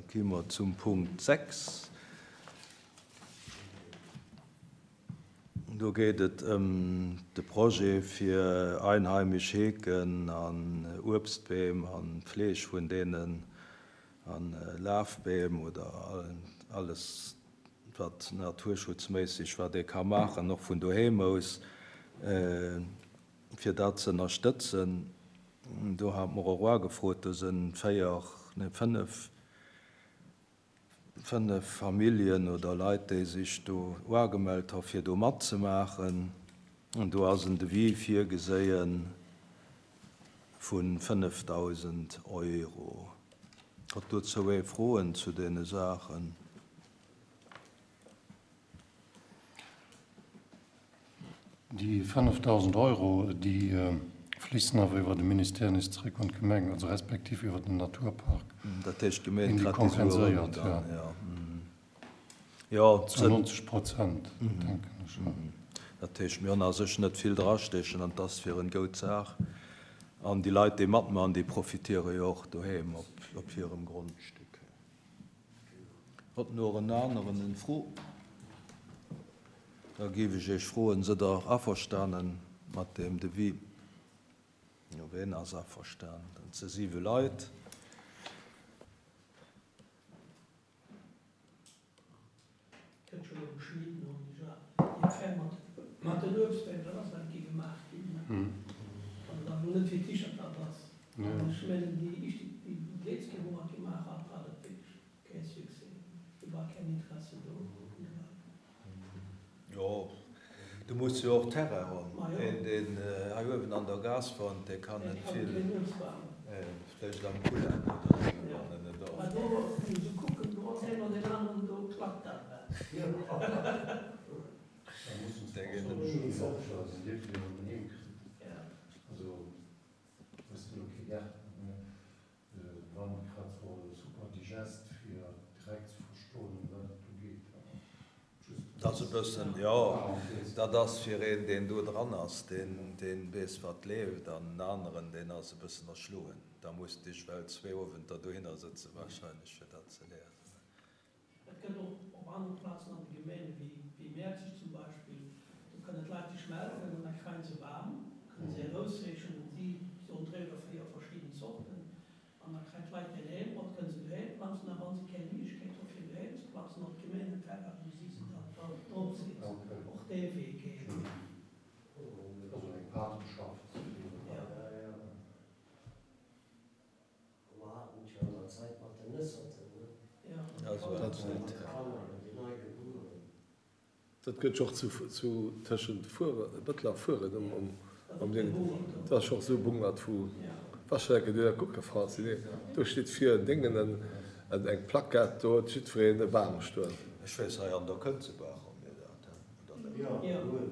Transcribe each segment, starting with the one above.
gi mer zum Punkt 6. Do geet et ëm de Projet fir einheimisch Heeken an Uebstbeem an d'Fleeg vun deenen an Lafbeem oder alles wat naturschutzméisseg wat ee ka maachen, och vun doheem aus, fir dat ze ënnerstëtzen. Do hat mer och ugefrot, do sënn 4, nee 5, 5 Familljen oder Leit, déi sech do uagemellt ha fir do matzemaachen. An do ass en Devis virgeséie vu 5.000 Euro. Hutt dozou ee Froen zu deene Saachen? Déi 5.000 Euro, déi fléissen awer iwwer de Ministère nees zeréck un d'Gemeng, also respektiv iwwer den Naturpark. Dat heescht, d'Gemeng kritt déi Sue erëm dann, jo. Jo. Zu 90 Prozent, denken ech. Dat heescht, mir hunn a sech net vill drastechen an et ass fir en goud Saach. An déi Leit, déi matmachen, déi profitiere jo och doheem op hirem Grondstück. Hott no en aneren en Fro? Da géif ech Iech froen, Sidd Der averstanen mat deem Devis? Jo, ween ass averstanen? Dat si siwe Leit. Kënnt scho lo geschnidden hunn ech a déi Affär mat mat den Uebstbeem, dat ass eng Kéier gemaach ginn, ne? Wann et awer lo net fir d'Tichertat ass. An ech mengen déi éischt déi déi létz Kéier wou mer et gemaach hat, war dat wierklech kee Succès, do war keen Interesse do vun de Leit. Jo, du muss jo och Terrain hunn. Een, deen hei uewen an der Gaass wunnt, dee kann net vill, vläicht am Kulen oder esou, wann en et och. Dat ass e bëssen, jo, dat ass fir een, deen do dran ass, deen weess, wat leeft, an en aneren, deen ass e bëssen erschloen. Da muss dech well zwee Owenter dohinner sëtzen wahrscheinlech, fir dat ze liesen. Et gëtt och op anere Plazen an de Gemeene wéi Mäerzeg zum Beispill, do kënnen d'Leit sech melden an da kréien se Bam, kënne se erausséichen an si soen 3 oder 4 verschidden Zorten an da kréien d'Leit deen heem mat, kënne se doheem planzen a wa se keng Méiglechkeet hu fir doheem ze planzen op Gemeenterrain, wou si se dann drop setzen, och dee Wee geet. Also eng Patenschaft. Mer haten et jo an der Zäit mat den Nësserten, ne? Mat de Kanner, déi nei gebueren. Dat gëtt jo och zu tëschent Fuere, Bëttel a Fueren um am Ding. Dat ass jo och esou e Bungert vu Waschenecke, déi da kucke Franzi, nee, do steet vir en Déngen en eng Plaquette, do huet jiddwereen e Bam stoen. Ech weess, hei an der Kënzebaach hu mir dat, oder net?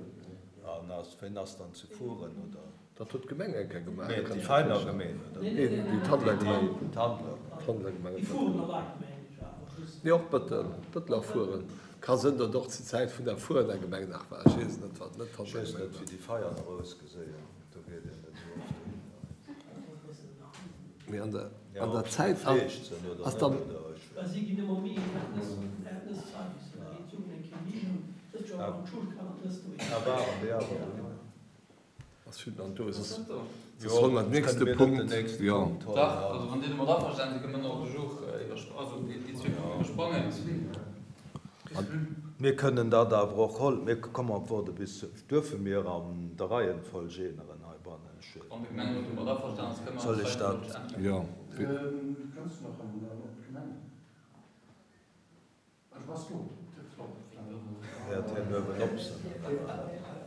An ass, ween ass dann zu Furen, oder? Dat huet d'Gemeng eng Kéier gemaach. Nee, déi Veiner Gemeen, oder? Nee, déi Tandler Gemeng. Tandler Gemeng. Nee, och Bëttel. Bëttel a Furen. Ka sënn, datt och zur Zäit vun der Furener Gemeng nach war. Ech weess et net, wat net Tandler Gemeng war. Ech weess net, wéi déi Veianer ausgeséien. Do geet een net esou oft dohinner. Mee an der, an der Zäit ass dann. Ass vill an do soss soll mer den nächste Punkt jo. Dach, also wann Dir domat averstanen sidd, kënne mer den Ordre du jour iwwerspr-, also déi zwee Punkten iwwersprangen. Mir kënnen dat awer och hol-, mir komme op woarde bis, duerfe mir an der Reihenfolg änneren heibannen? Ech. Wann de Gemengerot domat averstanen ass, kënne mer Soll ech dat? d'Reihenfolg änneren. Jo. Kënns du nach an op d'Gemeng? Wäert hien uewen op sinn, oder wat?